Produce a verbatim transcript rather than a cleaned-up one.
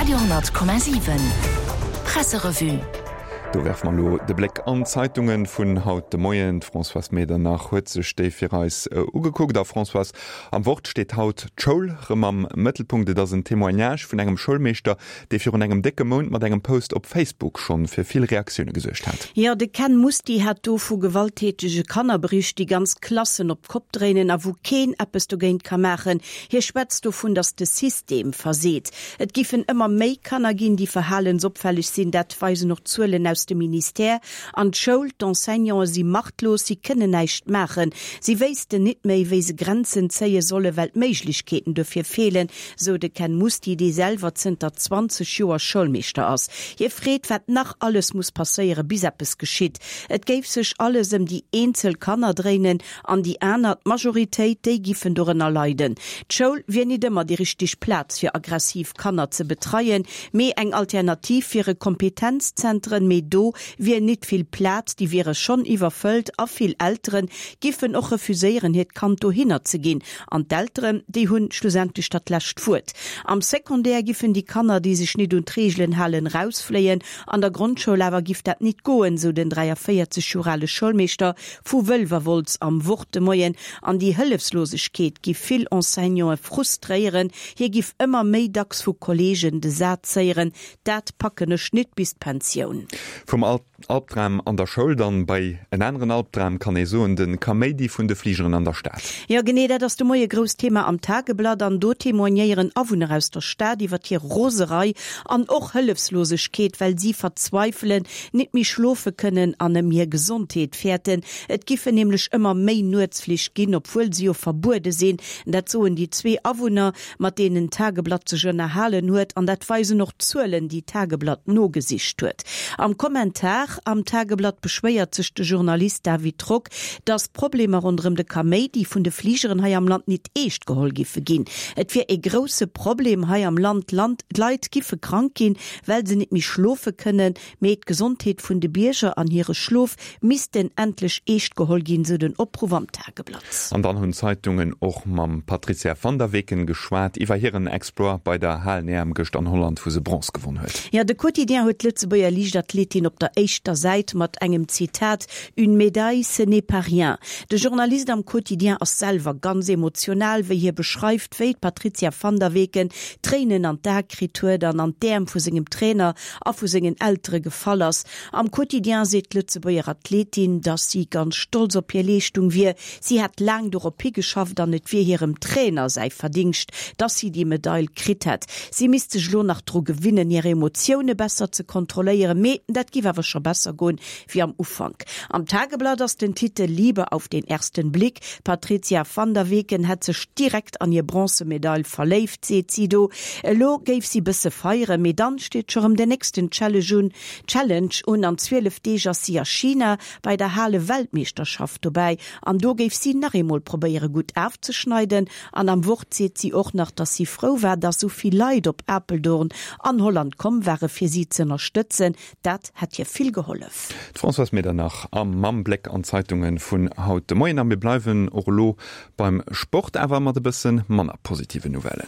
Radio honnert Komma siwen Presserevue. Do werfe mer elo de Bléck an d'Zeitunge vun haut de Moien. D'Françoise Medernach huet sech déi fir eis ugekuckt. A Françoise, am Wort steet haut d'Schoul rëm am Mëttelpunkt. Et ass en Témoignage vun engem Schoulmeeschter, dee virun engem décke Mount mat engem Post op Facebook schonn fir vill Reaktioune gesuergt hat. Jo, de Ken Musty hat do vu gewalttätege Kanner bericht, déi ganz Klassen op d'Kopp dréinen a wou keen eppes dogéint ka maachen. Hie schwätzt dovun, datt de System verseet. Et giffen ëmmer méi Kanner ginn, déi verhalensopfälleg sinn, dat weisen och d'Zuelen aus dem Ministère. An d'Schoul, d'Enseignanten si machtlos, si kënnen näischt maachen. Si wéissten nit méi, wéi se Grenzen zéie solle, well d'Méiglechkeeten dofir feelen, sou de Ken Musty, dee selwer zënter zwanzeg Joer Schoulmeeschter ass. Hie freet, wat nach alles muss passéieren, bis eppes geschitt. Et géif sech alles ëm déi eenzel Kanner dréinen an déi aner, d'Majoritéit, déi giffen dorënner leiden. D'Schoul wier nit ëmmer déi richteg Plaz fir aggressiv Kanner ze betreien, mee eng Alternativ wiere Kompetenzzentren, mee do wier nit vill Plaz, déi wiere schonn iwwerfëllt a vill Eltere giffen och refuséieren, hiert Kand dohinner ze ginn. An d'Elteren, déi hunn schlussendlech dat lescht Wuert. Am Secondaire giffen déi Kanner, déi sech nit un d'Reegelen halen, rausfléien, an der Grondschoul awer giff dat nit goen, sou den dräiavéierzeg Joer ale Schoulmeeschter vu Wëlwerwolz am Wort de Moien. An déi Hëllefslosegkeet giff vill Enseignanten frustréieren. Hie giff ëmmer méi dacks vu Kolleegen de Saz héieren, Dat packen ech nit bis d'Pensioun. Vum Albdram an der Schoul dann bei en aneren Albdram, kann ee soen, de Kaméidi vun de Fligeren an der Stad. Jo, genee dat ass de Moie grousst Thema am Tageblatt an do témoignéieren Awunner aus der Stad iwwer hir Roserei an och Hëllefslosegkeet, well si verzweifelen, nit méi schlofe kënnen an ëm hir Gesondheet fäerten. Et giffen nämlech ëmmer méi Nuetsflich ginn, obwuel se jo verbuede sinn. Dat soen déi zwee Awunner, mat deenen d'Tageblatt sech ënnerhalen huet an dat weisen och d'Zuelen, déi d'Tageblatt nogesicht huet. Am Kommentar am Tageblatt beschwéiert sech de Journalist David Rock, datt d'Problemer ronderëm de Kaméidi vun de Fligeren hei am Land nit eescht geholl giffe ginn. Et wier ee grousse Problem hei am Land, d'Leit giffe krank ginn, well se nit méi schlofe kënnen, mee d'Gesondheet vun de Bierger an hire Schlof missten endlech eescht geholl ginn, sou den Opruff am Tageblatt. An dann hunn d'Zeitungen och mam Patrizia van der Weken geschwat iwwer hiren Exploit bei der Halen-E M gëscht an Holland, wou se Bronze gewonn huet. Jo, de Quotidien huet d'Lëtzebuerger Liichtathletin op der éischter Säit mat engem Zitat, Une médaille, ce n'est pas rien. De Journalist am Quotidien ass selwer ganz emotional, wéi hie beschreift, wéi d'Patrizia van der Weken Tréinen an d'Ae kritt huet an an d'Äerm vu sengem Trainer a vu sengen Eltere gefall ass. Am Quotidien seet d'Lëtzebuerger Athletin, datt si ganz stolz op hir Leeschtung wier. Si hätt laang dorop higeschafft an et wier hirem Trainer säi Verdingscht, datt si déi Medail kritt hätt. Si misst sech elo nach dru gewinnen, hir Emotioune besser ze kontrolléieren, mee dat giff awer scho besser goen wéi am Ufank. Am Tageblatt ass den Titel Liebe auf den ersten Blick, D'Patrizia van der Weken hätt sech direkt an hir Bronzemedail verléift, seet si do. Elo géif si bësse feieren, mee dann steet scho rëm den nächsten Challenge un. An zwielef Deeg ass si a China bei der Hale-Weltmeeschterschaft dobäi an do géif si nach eemol probéiere gutt afzeschneiden. An am Wort seet si och nach, dass si frou war, dass sou vill Leit op Apeldoorn an Holland komm ware fir si z'ënnerstëtzen. Dat hätt hir vill gehollef. D'Françoise Medernach a mam Bléck an d'Zeitunge vun haut de Moien. A mir bleiwen och elo beim Sport, awer mat e bësse manner positiven Nouvellen.